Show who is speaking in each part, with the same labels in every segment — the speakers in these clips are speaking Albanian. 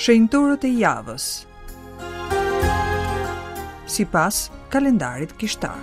Speaker 1: Shenjtorët e javës. Sipas kalendarit kishtar.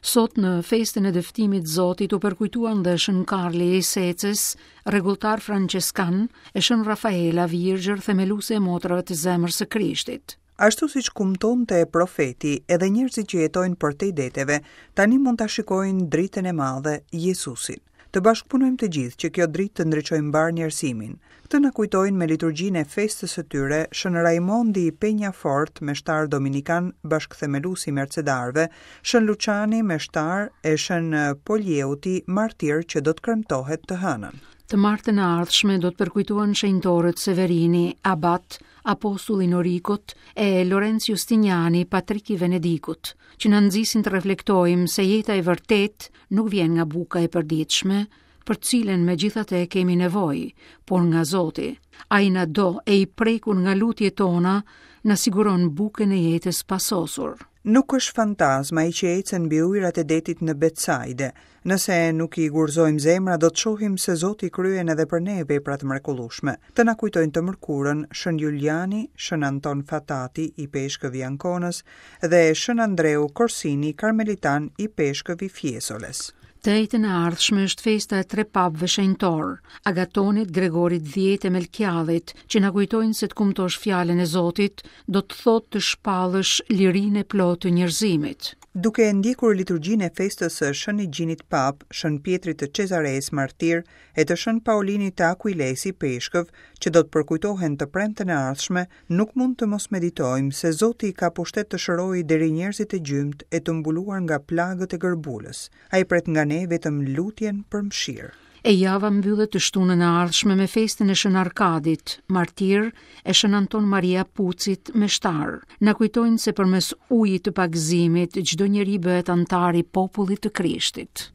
Speaker 2: Sot në festën e dëftimit Zotit u përkujtuan dhe Shën Karli i Secës, rregulltar françeskan, e Shën Rafaela, virgjër themeluese e motrave të zemrës së Krishtit.
Speaker 1: Ashtu siç kumtonte profeti, edhe njerëzit që jetojnë përtej deteve, tani mund ta shikojnë dritën e madhe, Jezusin. Të bashkëpunojmë të gjithë që kjo dritë të ndriçojë mbarë njerëzimin. Këtë na kujtojnë me liturgjinë e festës së tyre Shën Raimondi i Peñafort, meshtar dominikan, bashkëthemelues i Mercedarëve, Shën Luçani, meshtar, e Shën Polieuti, martir që do të kremtohet të hënën.
Speaker 2: Të martën e ardhshme do të përkujtohen shenjtorët Severini, Abat, apostull i Norikut e Lorenc Justiniani, patrik i Venedikut, që na nxisin të reflektojmë se jeta e vërtetë nuk vjen nga buka e përditshme, për të cilën megjithatë kemi nevojë, por nga Zoti. Ai na do e i prekur nga lutjet tona, na siguron bukën e jetës së pasosur.
Speaker 1: Nuk është fantazmë ai që ecën mbi ujërat e detit në Betsaide. Nëse nuk i gurëzojmë zemrat, do të shohim se Zoti kryen edhe për ne vepra të mrekullueshme. Këtë na kujtojnë të mërkurën Shën Juliani, Shën Anton Fatati, ipeshkëv i Ankonës, dhe Shën Andreu Korsini, karmelitan, ipeshkëv i Fiesoles.
Speaker 2: Të enjten e ardhshme është festa e tre papëve shenjtorë, Agatonit, Gregorit X e Melkiadhit, që na kujtojnë se të kumtosh fjalën e Zotit do të thotë të shpallësh lirinë e plotë të njerëzimit.
Speaker 1: Duke ndjekur liturgjinë e festës së Shën Igjinit Papë, Shën Pjetrit të Cezaresë martir e të Shën Paulinit të Akuilesë ipeshkëv, që do të përkujtohen të premten e ardhshme, nuk mund të mos meditojmë se Zoti ka pushtet të shërojë deri njerëzit e gjymtë e të mbuluar nga plagët e gërbulës. Ai pret nga ne vetëm lutjen për mëshirë.
Speaker 2: E java mbyllet të shtunën e ardhshme me festën e Shën Arkadit, martir, e Shën Anton Maria Pucit, meshtar. Na kujtojnë se përmes ujit të pagëzimit çdo njeri bëhet anëtar i popullit të Krishtit.